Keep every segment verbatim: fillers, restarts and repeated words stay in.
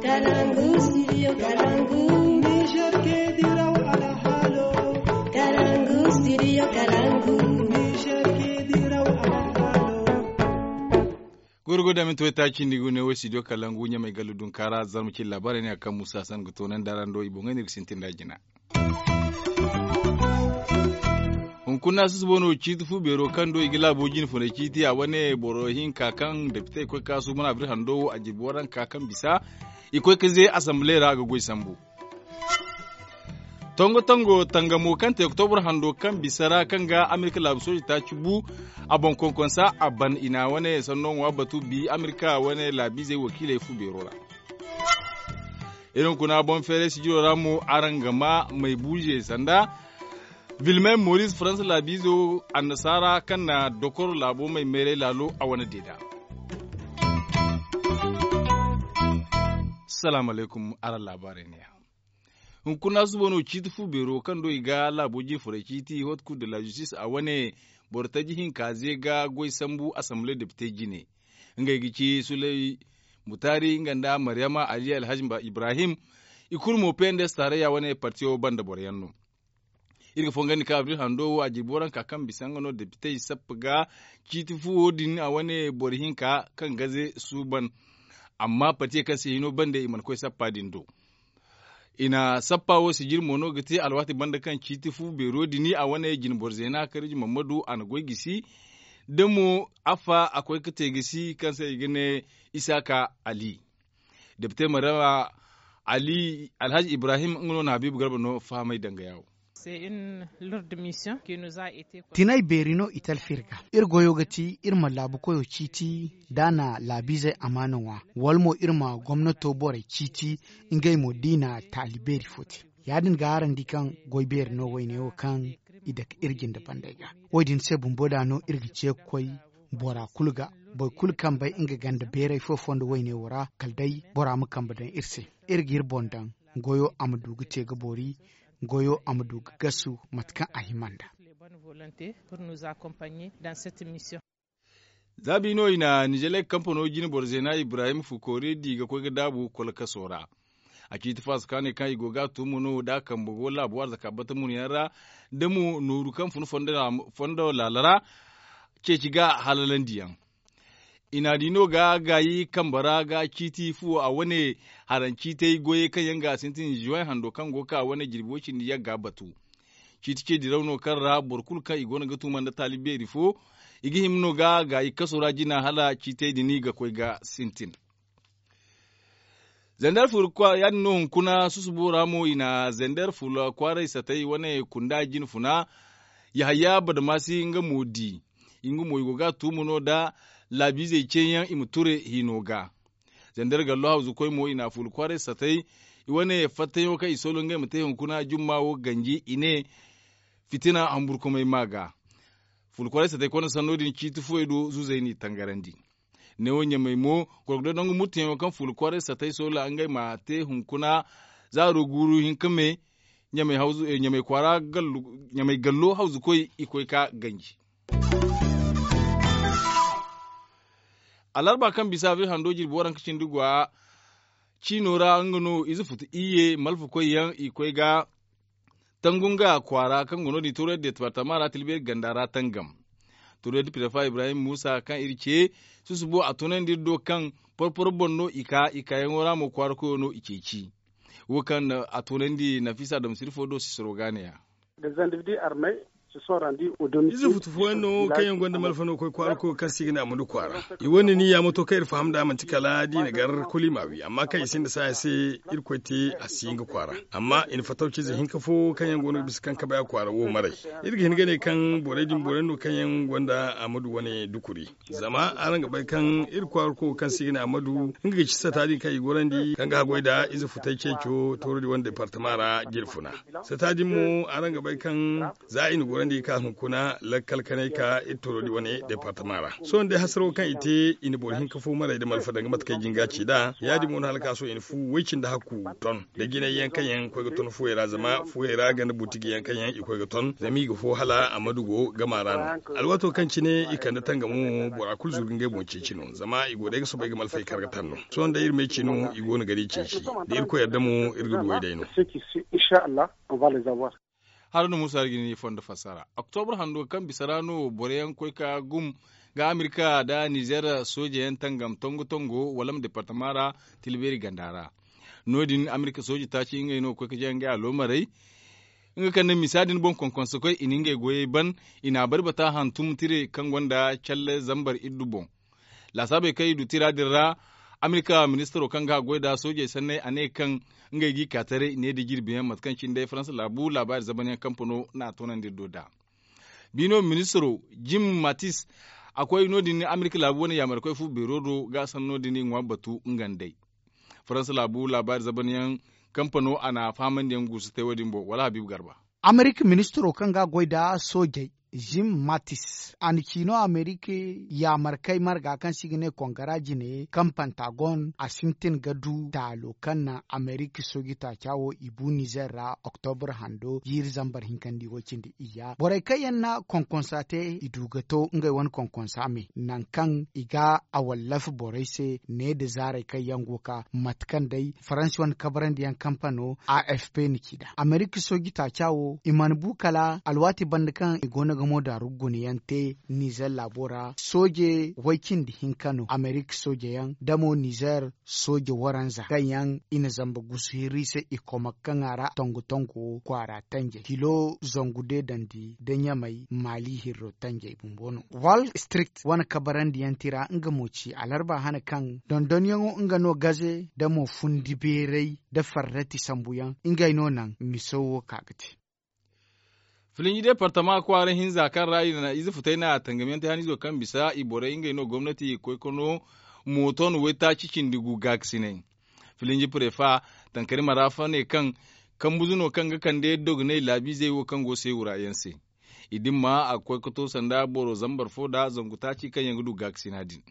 Kalangu, studio Kalangu. Niger ke diraw alhalo. Kalangu, studio Kalangu. Niger ke diraw alhalo. Gurgu da minti wayta cindi gune wo studio Kalangu ɲamay gallu dunkaara zarma cin laabaarey ne a kaŋ musa san ga toonandi araŋ do i boŋey ne ga sintin da jina. Hunkuna susubo no ciiti fu beero kaŋ do i ga laabo jine funay ciiti a wane boro hinka kaŋ depitey koy ka suuban abri hando wo a jirbi waranka kaŋ bisa i koy ka ze asamble ra ga goy sambu. Tongo tongo tangamo kaŋ te oktobur hando kaŋ bisa ra kaŋ ga amerika laabu sooji taaci bu a boŋ konkonsa a ban i na wane sanno ŋwa batu bi amerika wane laabiizey wakiiley fu beero ra. Iri hunkuna boŋ feeray sijiro ra mo araŋ ga ma may buuze sanda vilmen moris faransa laabiizo annasaara kaŋ na dokoro laabo may mayray laalo a wane deeda. Salaamu alaykum araŋ laabaarey ne ya. Hunkuna suba no ciiti fu beero kaŋ do i ga laabo jine furay ciiti hot kul de la justis a wane boro taji hinka ze ga goy sambu asamble depite jine. Ngey ga ci suley mutaari nga nda maryama ali alhaji ibrahim. I kulu mo pnds taarayya wane partiyo banda boro yaŋ no. Iri ga fongandi ka abril hando wo a jirbi waranka kaŋ bisa nga no depitey sappa ga ciiti fuwo din a wane boro hinka kaŋ gaze suuban. Amma partiye kaŋ se hino bande i mana koy sappa din do. I na sappa wo sijir mo no ga te alwaati banda kaŋ ciiti fu beero din a wane jine boro zeena kariji mammadu a na goy gisi da mo affa a koy ga te gisi kaŋ se i ga ne isaaka ali. Depite marama ali alhaji ibrahim nga no na habiibu garba no fahamay danga yaawo. Tinay beeri no i talfi iri ga iri goyo ga ti iri ma laabu koyo ciiti da a na laabiizey amaana ŋwa wala mo iri ma gomnato borey ciiti ngey mo da i na taali beeri fo te. Ya- din ga araŋ di kaŋ goy beeri no woyne wo kaŋ i dake iri jinde bandey ga. Wo- din se bumbo da no iri ga ce ga koy bora kulu ga boro kulu kaŋ bay nga ganda beeray fo fondo woyne wo ra kala day bora ma kambe daŋ iri se. Iri ga iri boŋ daŋ goyo a ma du ga te ga boori goyo a ma du ga gasu mate kaŋ a hima nd'a. Za bi no i na nizelek kampano jine boro zeena ibrahim fukoori di ga koy ga daabu kolkaso ra. A ciiti faasa kaanay kaŋ i go ga a tuumo no da a kambe go laabu arzaka bata mun yaŋ ra da mo nooru kaŋ fun fondo laala ra ceeci ga halalandiyaŋ. I na di no ga gaayi kambe ra ga ciiti fuwo a wane haraŋ ciitey goyey kaŋ yaŋ ga sintin zuway hando kaŋ go ka wane jirbi way cindi yagga batu. Ciiti ce diraw no kaŋ ra boro kulu kaŋ i go no ga tuuma nda taali beeri fo i ga hima no ga gaayi kaso ra jina hala ciitey din ga koy ga sintin. Zender fula ya- din no hunkuna susubo ra mo i na zender fula kwaaray satay wane kunda jine funa. Yahaya badamasi nga mo di nga mo i go ga a tuuma no da laabiizey ceeyaŋ i ma ture hino ga. Zender gallo hawzu koy mo i na fula kwaaray satay i wane fattayaŋo kaŋ i soolo ngey ma te hunkuna jumma wo ganji i ne fitina hamburkumay ma ga. Fula kwaaray satay konda sanno din ciiti fuwey do zuzey n'i tangarandi. Neewo ɲamey mo gorgodo nangu murtayaŋo kaŋ fuula kwaaray satay soola ngey ma te hunkuna zaaro guuru hinka me ɲamey kwaara ɲamey gallo hawzu koy i koy ka ganji. Alarba kaŋ bisa abril hando jirbi waranka cindi gwa ciino ra nga no ize futu iyye malfa koy yaŋ i koy ga tangu nga kwaara kaŋ go no- din turay departama ra tilbeeri ganda ra tangam. Turay da prefa ibrahim musa kaŋ iri ce susubo a tunandi iri do kaŋ porporo boŋ no i ka i kaayaŋo ra mo kwaara koyo no i ceeci. Wo kaŋ a tunandi nafisa dam sirifo do sisiro ga ne ya. Ize futu fooyaŋ no kaŋ yaŋ gonda malfa no koy kwaara koyo kaŋ si ga ne a ma du kwaara. I wane ni yaamoto kaŋ iri faham nd'a manti kala da i na gar kulu i m'a wi amma kaŋ i sinda saaya se irkoy te a si hin ga kwaara. Amma i na fattaw ciize hinka fo kaŋ yaŋ go no ga bisa kaŋ kabay a kwaara wo maray. Iri ga hin ga ne kaŋ borey din borey no kaŋ yaŋ gonda a ma du wane dukuri. Zama araŋ ga bay kaŋ iri kwaara koyo kaŋ si ga ne a ma du nga ga ci sata din kaŋ i gorandi kaŋ ga haggoy nda ize futay ceeco tooro din wane departama ra jiri funa. Sata din mo araŋ ga bay kaŋ za i na Bandi ka hunkuna lakkal kanay ka iri toro di wane departama ra. Sohõ day hasaro kaŋ i te i na boro hinka fo maray nda malfa danga mate kaŋ i jin ga ci nd'a ya- din mo no hala ka sohõ i na fu way cindi hakku ton, da jinay yaŋ kaŋ yaŋ koy ga ton fuwey ra zama fuwey ra ganda butiji yaŋ kaŋ yaŋ i koy ga ton zama i ga fo hala a ma dugo gama ra no. Alwaato kaŋ cine i kande tangamo mo bora kulu zuru ga ngey boŋ ceeci no zama i go day ga soobay ga malfey kar ga taŋ no. Sohõ day iri ma ay ci no i go no ga di ceeci da irkoy yadda mo iri ga du way day no. Haruna muusa iri ga ni fondo fassara oktobra hando kaŋ bisa ra no boro yaŋ koy ka gum ga amerika nda nizer sooje yaŋ tangam tongo tongo wala ma departama ra, tila beeri ganda ra. No- din amerika sooje taaci ngey no ga koy ga jay ngey aloomarey. Nga kaŋ na misa din boŋ konkonse koy i na ngey goyey ban, i n'a bari bata hantum tire kaŋ gonda calle zambar iddu boŋ. Laasaabey kaŋ i du tira din ra, amerika ministaro kaŋ ga a goy nd'a soojey sanney a ne kaŋ ngey g'i ka taray ne nda jirbi yaŋ mate kaŋ cine day faransa laabu laabaari zaban yaŋ kampano n'a toonandi iri do nd'a. Biino ministaro jim matis, a koy no- din amerika laabu wane yaamarkoy fu beero do ga a sanno din i ŋwa batu nga nd'ey. Faransa laabu laabaari zaban yaŋ kampano a na a fahamandi yaŋ guusu te wo- din boŋ wala habiibu garba. Amerika ministiro kaŋ ga a goy nda soojey, jim matis, a na ci no amerika yaamarkey marga kaŋ se i ga ne kongara jine kaŋ pantagon a sintin ga du taalo kaŋ naŋ amerika sooji taaca wo i bu nizer ra oktobra hando jiiri zambar hinkandi wo- cindi iyya borey kaŋ yaŋ na konkonsa te i du ga to ngey wane konkonsa me nangu kaŋ i ga a wallafi borey se ne nda zaarey kaŋ yaŋ go ga ka mate kaŋ day faransi wane kabrandi yaŋ kampano a f p na ci nd'a amerika sooji taaca wo i mana bu kala alwaati banda kaŋ i go no ga mo daaru guna yaŋ te nizer laabo ra sooje way cindi hinka no amerika sooje yaŋ da mo nizer sooje waranza kaŋ yaŋ i na zamba gusu hirri se i koma kaŋ a ra tongo tongo kwaara tanjey kilo zangu deedandi da ɲamay maali hirro tanjey bumbo no wall street wane kabarandi yaŋ tira nga mo ci alarba hane kaŋ dondonyaŋo nga no gaze da mo fundi beeray da farrati sambu yaŋ ngey no naŋ miso wo ka ga te. Filinji departama kwaara hinza kaŋ ra i na ize futay na tangamyaŋ te haniizo kaŋ bisa i borey ngey no gomnati i koy ka no mooto no waytaaci cindi gu gaakasinay. Filinji prefa tankari marafa ne kaŋ kambuzu no kaŋ ga kande dogonay laabiizey wo kaŋ go seewura yaŋ se. I dimma a ga koy ka to sanda boro zambar fo nda zangu taaci kaŋ yaŋ ga du gaakasina din.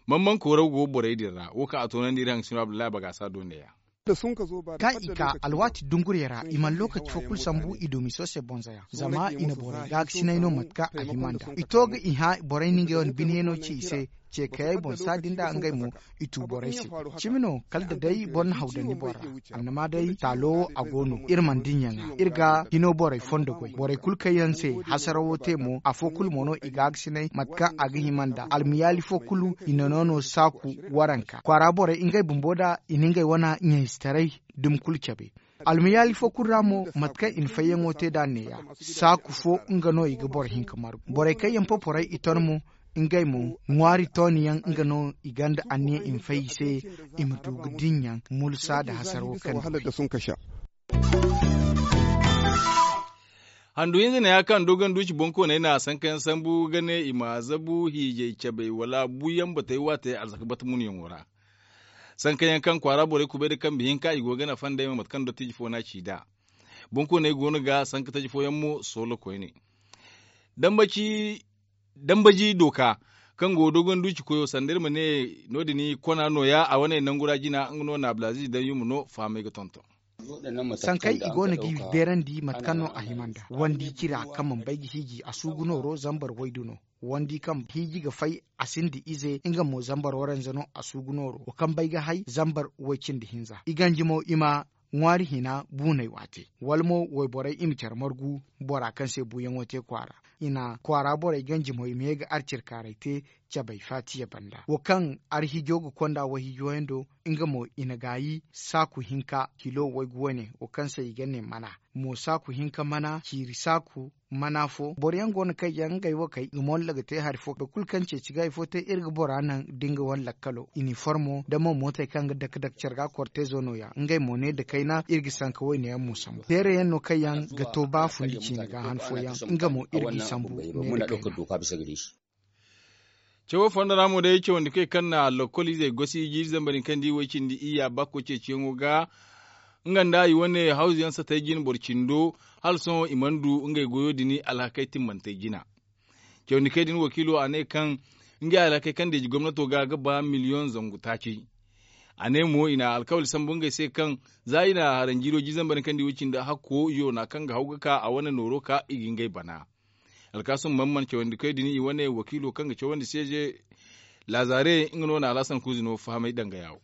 Mamman kooraw go borey din ra wo kaŋ a toonandi iri haŋ sino abdullahi bagasa do neeya. Kaŋ i ka alwaati dungurey ra i mana lookaci fo kulu sambu i du miso se bonza yaŋ zama i na borey gaakasinay no mate kaŋ a hima nd'a i to ga i hã borey na ngey wane bine no ci i se. Ceekayey boŋ saadi nd'a ngey mo i tu borey se. Cimi no kala da day boro na haw daŋ ni boŋ ra. Annama day taalo wo a go no iri mana dinya ŋwa iri ga hino borey fondo goy borey kulu kaŋ yaŋ se hasarawo te mo afo kulu mo no i gaagasinay mate kaŋ a ga hima nd'a almiyaali fo kulu i na no no saaku waranka kwaara borey ngey bumbo da i na ngey wane ɲayzetaray dumi kulu cabe. Almiyaali fo kulu ra mo mate kaŋ i na fayyaŋo te nd'a neeya saaku fo nga no i ga boro hinka margu borey kaŋ yaŋ poporay i ton mo ngey mo ŋwaari tooniyaŋ nga no i gonda anniya i ma fay i se i ma du ga dinya mulsa nda hasarawo kaŋ handu hinza ne ya kaŋ dogon duuci boŋkooney na sankayaŋ sambu ga ne i ma zabu hiijay cabey wala buuyaŋ batey waate arzaka bata munyaŋo ra. Sankayaŋ kaŋ kwaara borey kubay nda kambe hinka i go ga nafa nd'ey ma mate kaŋ dottijo fo no a ci nd'a. Boŋkooney go no ga sanka taji fooyaŋ mo soolo koyne. Dambaji dooka kaŋ go dogon duuci koyo sanda iri ma ne no- din kona nooya a wane nangu ra jina nga no na abdulaziz daŋ yuma no fahamay ga tonton. Sankey i go no g'i beerandi mate kaŋ no a hima nd'a wandi cira kaŋ mana bay ga hiiji a suugu nooro zambar waydu no. Wandi kaŋ hiiji ga fay a sinda ize nga mo zambar waranza no a suugu nooro wo kaŋ bay ga hay zambar way-cindi hinza i ganji mo i ma ŋwaari hina buunay waate wala mo wayborey i ma care margu bora kaŋ se buuyaŋo te kwaara. I na kwaara borey ganji mo i ma ye ga arcirkaaray te cabay faatiya banda wo kaŋ arhijo ga konda wayhijo yaŋ do. Nga mo i na gaayi saaku hinka kilo waygu wane wo kaŋ se i ga ne mana mo saaku hinka mana ciiri saaku mana fo boro yaŋ go no kaŋ yaŋ ngey wo kay i ga molla ga te hari fo boro kulu kaŋ ceeci ga hari fo te iri ga bora naŋ da nga wane lakkalo iniformo da mo mootey kaŋ ga dake dake care ga kortezo nooya ngey mo ne da kayna iri ga sanka wayne yaŋ mo sambu teere yaŋ no kaŋ yaŋ ga to ba fundi ciine ga han fooyaŋ nga mo iri g'i sambu ne da kayna. Cawo fondo ra mo day cawandi kay kaŋ na lokkol izey gosi jiiri zambar hinka nda i way cindi iyya bakko ceeciyaŋo ga nga nda i wane hawzu yaŋ satey jine boro cindo. Hala sohõ i mana du ngey goyo din alhakey timmantey jina. Cawandikey din wakiilo a ne kaŋ ngey alhakey kaŋ deeji gomnato ga ga ba miliyoŋ zangu taaci. A ne mo i na alkawali sambu ngey se kaŋ za i na haranjiiro jizambar kaŋ di wo cindi hakko yoona kaŋ ga haw ga ka a wane nooro ka i ga ngey bana. Alkaasum man man cawandikoy din i wane wakiilo kaŋ ga cawandi seeje. Laazare nga no na alhasan kuuzi no fahamay danga yaawo.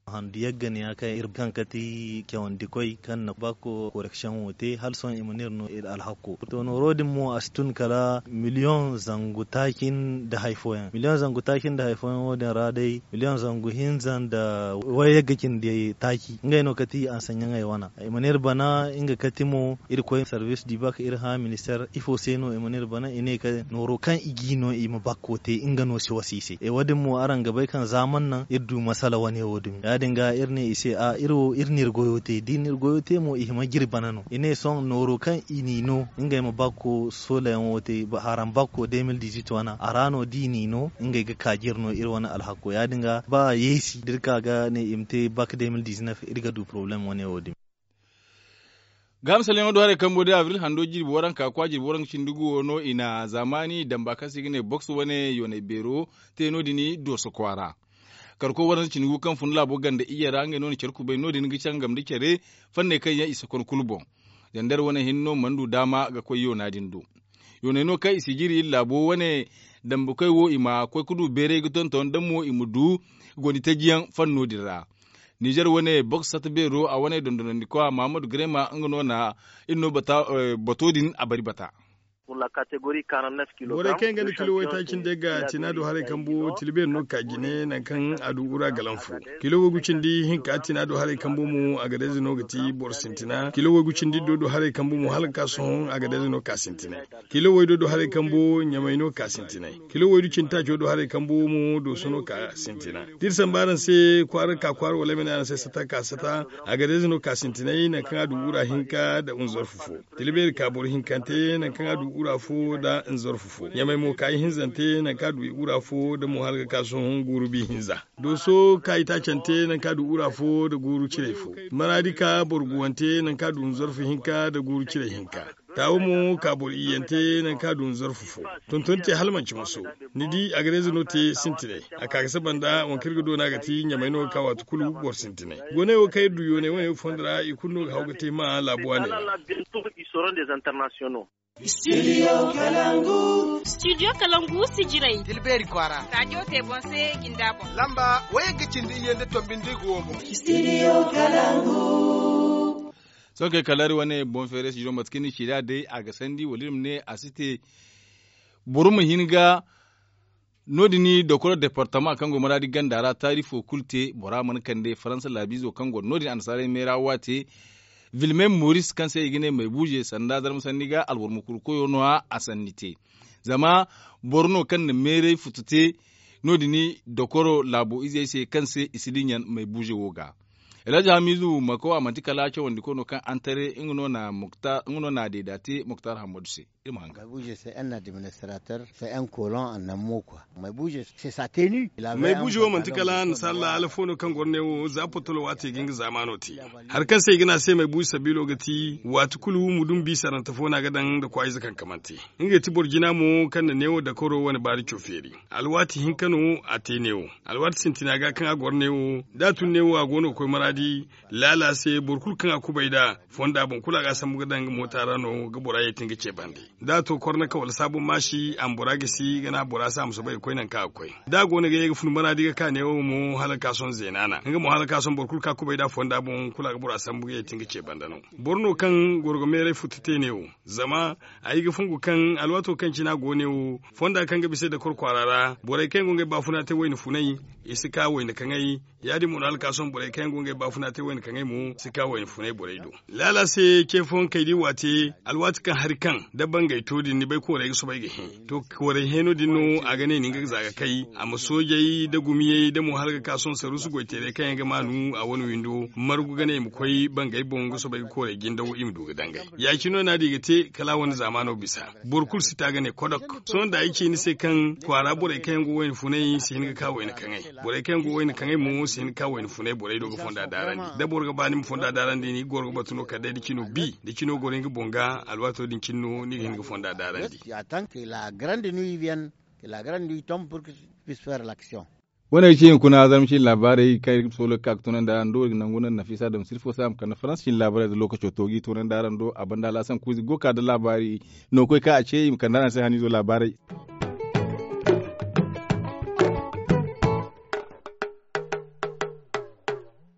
Handu yagga ne ya kaŋ iri kaŋ kati cawandikoy kaŋ na bakko koreksiyoŋ wo te hala sohõ i ma ne iri no iri alhakko. To nooro din mo a si tun kala miliyoŋ zangu taaci nda hari fooyaŋ miliyoŋ zangu taaci nda hari fooyaŋ wo- din ra day miliyoŋ zangu hinza nda way yagga cindi taaci ngey no kati ansaɲaŋey wana. I ma ne iri bana nga kati mo iri koy sarbis di baka iri hã ministeer ifo se no i ma ne iri bana i ne ka nooro kaŋ i g'i no i ma bakko te nga no si wasa i se. Wo- din mo araŋ ga bay kaŋ za mana naŋ iri du masala wane wo- din ya- din ga iri ne i se a iri wo iri na iri goyo te da i na iri goyo te mo i hima ga iri bana no i ne sohõ nooro kaŋ i n'i no ngey ma bakko solayaŋo te haram bakko de mil diziit wana a ra no da i n'i no ngey ga ka ga iri no iri wane alhakko ya- din ga ba yeesi da iri ka ga ne i ma te bak de mil dizineef iri ga du porobalem wane wo- din. Ga misalyaŋo do haray kambo day abril hando jirbi waranka kwa jirbi waranka cindi gu wo no i na zaamaani damba kaŋ se i ga ne boks wane yoonay beero te no- din dooso kwaara. Karko waranka cindi gu kaŋ fun laabo ganda iyye ra ngey no na care kubay no- din ga cangam da care fanney kaŋ yaŋ i si kon kulu boŋ. Zandar wane hinne no mana du daama ga koy yoona din do. Yoonay no kaŋ i si jiri iri laabo wane dambukoy wo i ma koy ga du beeray ga tonton da mo i ma du gondi taji yaŋ fanno din ra. Nizer wane boks sata beero a wane dondonandikwa mahamadu grema nga no na iri no bato din a bari bata. Borey kaŋ yaŋ ga nda kilo waytaaci nda ga tina do haray kambo tila beeri no ga ka jine nangu kaŋ a du ura galan fo. Kilo waygu cindi hinka tina do haray kambo mo agadeeze no ga ti boro sintina kilo waygu cindi do do haray kambo mo hala ga ka sohõ agadeeze no ga ka sintinay. Kilo waydo do haray kambo ɲamay no ga ka sintinay. Kilo waydu cindi taaco do haray kambo mo dooso no ga ka sintina. Da iri samba araŋ se kwaara ga ka kwaara wala ay ma ne araŋ se sata ga ka sata. Agadeeze no ga ka sintinay nangu kaŋ a du ura hinka nda unzarfu fo. Tila beeri ka boro hinkante nangu kaŋ a du ura fo nda nzarfu fo ɲamay mo ka ihinzante nangu kaŋ a du ura fo nda mo hala ga ka sohõ guuru bi hinza. Dooso ka itaacante nangu kaŋ a du ura fo nda guuru ciray fo. Maraadi ka boro guwante nangu kaŋ a du nzarfu hinka nda guuru ciray hinka. Taawo mo ka boro iyyante nangu kaŋ a du nzarfu fo. Tonton te hala manci moso. Ni di agareeze no te sintinay. A ka ga saba nda waŋ kaŋ iri ga doona ga ti ɲamay no ga ka waati kulu boro sintinay. Gooney wo kaŋ iri du yooney wane wo fondo ra i kulu no ga haw ga te hima laabu waaney ra. Studio kalangu. Studio kalangu si jiray tilbeeri kwaara. Raajo te boŋ se jinda boŋ lamba wayagga cindi iyye nda tombi nda i ga wo boŋ. Studio kalangu. Sohõ kay kala iri wane boŋ feeray studio mate kaŋ ni ci nd'a day a ga sandi wala iri ma ne a si te. Boro ma hin ga no- din dokoro departama kaŋ go maraadi ganda ra taari fo kulu te bora mana kande faransa laabiizo kaŋ go no- din annasaarey meera waate. Vilme moris kaŋ se i ga ne maybuuze sanda zarma sanni ga alboro ma kuru koyo no- ya a sanni te. Zama boro no kaŋ na meeray futu te no- din dokoro laabo izey se kaŋ se i si dinya maybuuze wo ga. Elhaji hamizu mako a manti kala cawandi koy no kaŋ antare nga no na deeda te muktar hammadu se. Iri ma hanga. Maybuuze se en na administrator se en kolon annan mo kwa. Maybuuze se sa tenu. Maybuuze wo manti kala annasaara laala fo no kaŋ goro ne wo za potolo waati ga nga zaamaano te. Hari kaŋ se i ga ne a se maybuuze sabiilo ga ti waati kulu mudun biisarante fo no a ga daŋ nda kwaayize kaŋ kamante. Nga ga ti boro jina mo kaŋ na neewo dakoro wane baari cofeeri. Alwaati hinka no a te neewo. Alwaati sintina ga kaŋ a goro neewo da a tun neewo a go no ga koy maraadi. Laala se boro kulu kaŋ a kubay nd'a fonda boŋ kulu a ga a sambu ga daŋ nga moota ra no ga bora yeeti nga ce bande. Da a to kornaka wala saabu maasi a ma bora gisi ga naŋ a bora se a ma soobay ga koy nangu kaŋ a ga koy. Da a go no ga ye ga fun maraadi ga ka neewo mo hala ga ka sohõ zeena na nga mo hala ga ka sohõ boro kulu kaŋ a kubay nd'a fonda boŋ kulu a ga bora sambu ga yeeti nga ce bande no. Boro no kaŋ goro ga meeray futu te neewo. Zama ay ga fungu kaŋ alwaato kaŋ cine a go neewo fonda kaŋ ga bisa ay dakoro kwaara ra borey kaŋ yaŋ go ngey baafuna te wayna funay. I si ka wayna kaŋay. Ya- din mo no hala ga ka sohõ borey kaŋ yaŋ go ngey baafuna te wayna kaŋay mo si ka wayna funay borey do. Laala se ce fooyaŋ kay da i waate alwaati kaŋ hari kaŋ da bangay to din ni bay koorey ga soobay ga hẽ. To koorey hẽeno din no a ga ne nin ga za ga kay a ma soojey nda gumiyey nda mo hala ga ka sohõ saruusu goyteerey kaŋ yaŋ ga maanu a wane windo margu ga ne i ma koy bangay boŋ ga soobay ga koorey jindaw i ma du ga dangay. Ya- cine no naadi ga te kala a wane zaamaano bisa. Boro kulu si ta ga ne kodok. Sohõ da ay ci ni se kaŋ kwaara borey kaŋ yaŋ go wayna funay si hin ga ka wayna kaŋay. Borey kaŋ yaŋ go wayna kaŋay mo si hin ga ka wayna funay borey do ga fonda. Da boro ga ba ni ma fonda daarandi ni goro ga batu no kala day da cino bi da cino goro ni ga boŋ ga alwaato din cine no ni ga hin ga fonda daarandi. Wane ay ce hunkuna zarma cine laabaarey kaŋ iri ga sohõ ga ka ga toonandi araŋ do iri ga nangu naŋ nafiisa dam sirfo se a ma kande farans cine laabaarey da lookaco to ga i toonandi araŋ do a banda alaasan kuuzi go ga ka da laabaari no ga koy kaŋ a ce i ma kande araŋ se haniizo laabaarey.